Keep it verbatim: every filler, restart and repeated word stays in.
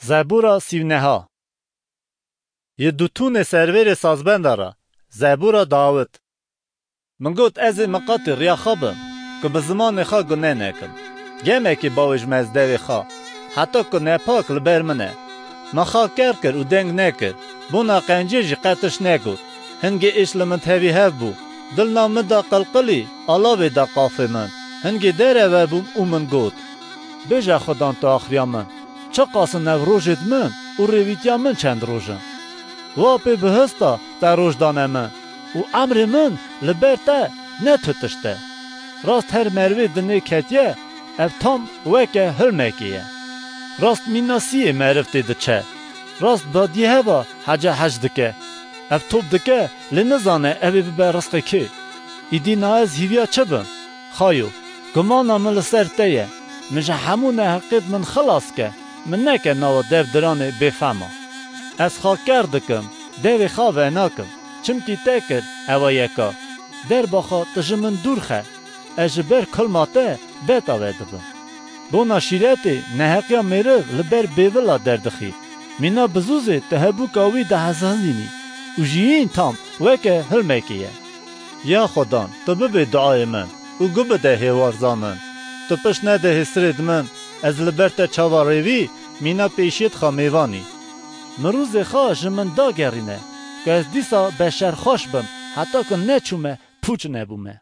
Zebûra sîvneha. Yi Dutûnê servêrê sazbenda re. Zebûra Dawid. Min got, ez ê miqatî riya xwe bim, ku bi zimanê xwe gune nekim. Gemekî bawêj me ez devê xwe, heta ku nepak li ber min e. Min xwe ker kir û deng nekir, bona qencê jî qe tişt negot. Hingê êş li min tevî hev bû. Dil nav min da qilqilî, alavê da qafê min. Hingê dereve bûm û min got, Bêje Xudan tu axiriya min, çiqas in ev rojêd min û rêvîtiya min çend roj in? Wa pê bihista te roj dane min û emrê min li ber te ne tu tişt e. Rast her merivê dinê ketiye, ev tam weke hilmekê ye. Rast mîna siyê meriv tê diçe. Rast badiyê heva hece hec dike. Ev top dike, lê nizane ev ê bibe rizqê kê. Îdî na ez hîviya çi bim? Xayo, gumana min li ser te ye. Min ji hemû neheqêd min xilas ke. Min neke nava dev diranê bêfema. Ez xwe ker dikim, devê xwe venakim. Çimkî te kir, ewa yeka. Derba xwe tu ji min dûr xe. Ez ji ber kilma te beta vedibim. Bona şîretê, neheqiya mêriv li ber bêvila derdixî. Mîna bizûzê tu hebûka wî dihezhezînî û jiyîn tam weke hilmekê ye. Ya Xudan, tu bibê duayê min û gubide hêwarza min. Tu pişt nede hêsirêd min, ez li ber te çawa rêvî, mîna pêşiyêd xwe mêvanî. Mirûzê xwe ji min dagerîne, ku ez dîsa beşerxweş bim, heta ku neçûme pûç nebûme.